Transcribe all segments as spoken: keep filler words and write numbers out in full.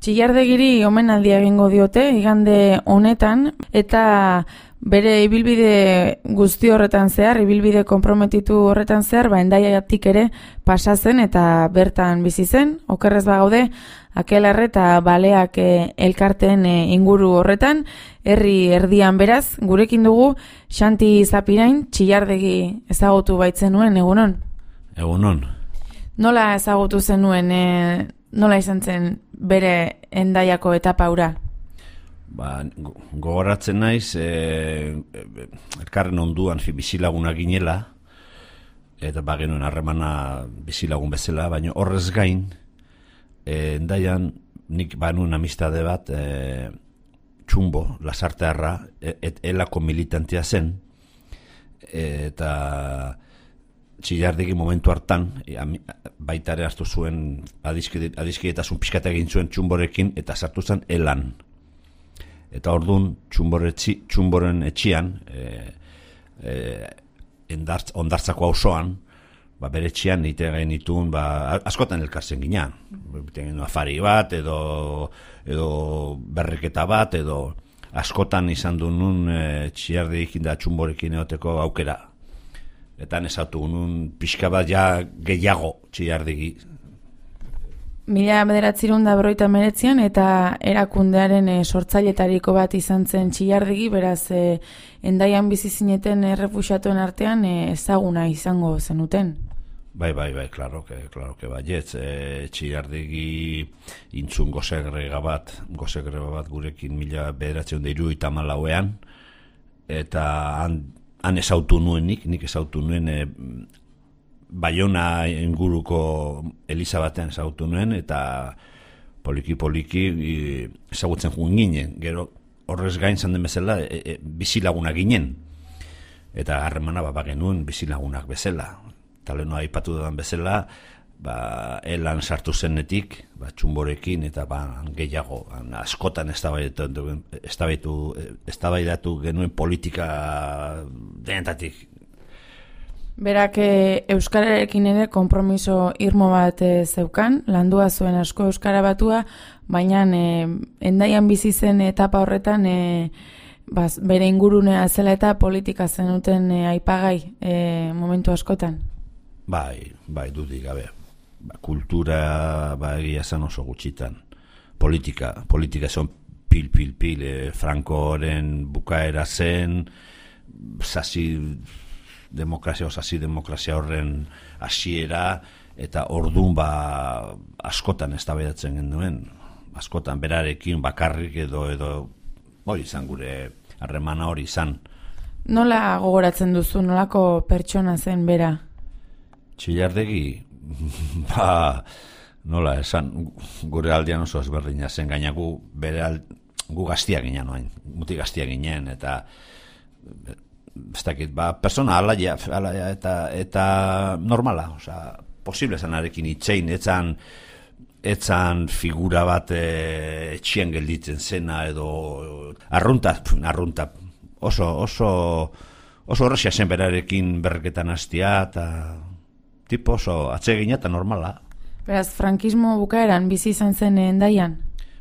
Txillardegiri omenaldia egingo diote igande honetan eta bere ibilbide guzti horretan zehar, ibilbide konprometitu horretan zehar, ba Hendaiatik ere pasa zen eta bertan bizi zen. Okerrez bagaude Akelarre eta Baleak e, elkarteen e, inguru horretan, herri erdian beraz, gurekin dugu Xanti Zapirain, Txillardegi ezagutu baitzen-nuen, egunon? Egunon. Nola ezagutu zenuen, e, nola izan zen bere Hendaiako etapa hura? Ba, gogoratzen naiz, e, e, elkarren onduan bizilagunak ginela, eta ba genuen harremana bizilagun bezala, baina horrez gain, e, Hendaian nik banuen amistade bat, e, Txumbo, Lasartearra, et elako militantea zen, eta Txillardegi momentu hartan, baitare hartu zuen adiskidetasun pixkata egin zuen Txumborekin, eta sartu zen elan. Eta orduan, Txumboren etxian, e, e, endartz, ondartzako auzoan, ba, bere etxian nite gain dituen, ba, askotan elkartzen ginean. Afari bat, edo, edo berreketa bat, edo askotan izan du nun e, Txillardegikin da Txumborekin egoteko aukera. Eta nesatu nun pixka bat ja gehiago Txillardegi. Mila bederatzirun da berroita meretzian eta erakundearen e, sortzailetariko bat izan zen Txillardegi, beraz e, Hendaian bizi zineten errefuxiatuen artean e, ezaguna izango zenuten. Bai, bai, bai, claro que, claro que baietz. E, Txillardegi intzun gozegrega bat, gozegrega bat gurekin mila bederatzirun da hirurogeita hamalauean, eta han Han ezautu nuen nik, nik ezautu nuen e, Baiona inguruko eliza batean ezautu nuen, eta poliki-poliki e, ezagutzen juen ginen. Gero horrez gain zan den bezala e, e, bizilagunak ginen. Eta harremana ba, genuen bizilagunak bezala. Talenoa aipatu dudan bezala, ba, elan sartu zenetik, ba, Txumborekin, eta ba, gehiago, askotan eztabaidatu genuen politika denetatik. Berak e, euskararekin ere konpromiso irmo bat e, zeukan, landua zuen asko euskara batua, baina e, Hendaian bizi zen etapa horretan e, baz, bere ingurunea zela eta politika zenuten e, aipagai e, momentu askotan. Bai, bai, dudik gabe. Ba, kultura ba, egia zen oso gutxitan. Politika, politika zen pil, pil, pil, e, Frankoren bukaera zen, sasi demokrazia, sasi demokrazia horren hasiera, eta ordun ba, askotan eztabaidatzen genuen, askotan berarekin bakarrik edo, edo hori izan gure harremana hori izan. Nola gogoratzen duzu, nolako pertsona zen bera? Txillardegi, ba, nola esan, gure aldean oso ezberdina zen, gaina gu, bere al, gu gaztia ginen oain, muti gaztia ginen, eta ez dakit, ba, persona alaia, alaia eta, eta normala, oza, posible zanarekin itzein, etzan, etzan figura bat e, etxien gelditzen zena, edo arrunta, arrunta, oso, oso, oso horrexia zen berarekin berreketan hastia, eta tipo oso atsegina eta normala. Beraz, frankismo bukaeran bizi izan zen Hendaian?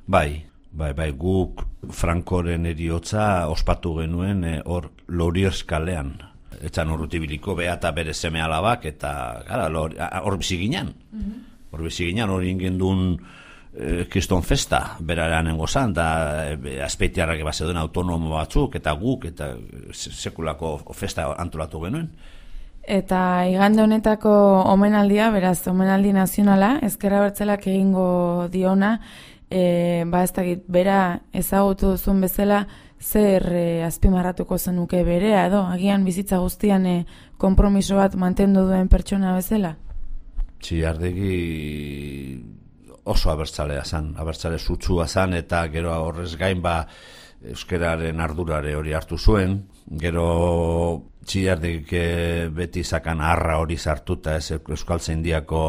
Bai, bai, bai, guk Frankoren eriotza ospatu genuen hor e, Loriers kalean. Etzan urrutibiliko bea eta bere seme alabak, eta gara, hor bizi ginen. Hor bizi ginen, hor ingen duen e, kriston festa, beraren engozan, da e, azpeitiarrak ebazeduen autonomo batzuk, eta guk, eta sekulako festa antolatu genuen. Eta igande honetako omenaldia, beraz, omenaldi nazionala, Ezker Abertzaleak egingo diona, e, ba ez dakit, bera ezagutu duzun bezala, zer e, azpimarratuko zenuke berea, edo, agian bizitza guztian e, konpromiso bat mantendu duen pertsona bezala? Txillardegi oso abertzalea zan, abertzale zutsua zan, eta gero horrez gain ba euskeraren ardurare hori hartu zuen, gero Txillardegik beti zakan harra hori sartuta, ez Euskaltzaindiako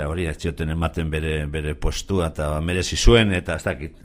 hori ez zioten ematen bere, bere postua, eta merezi zuen, eta ez dakit,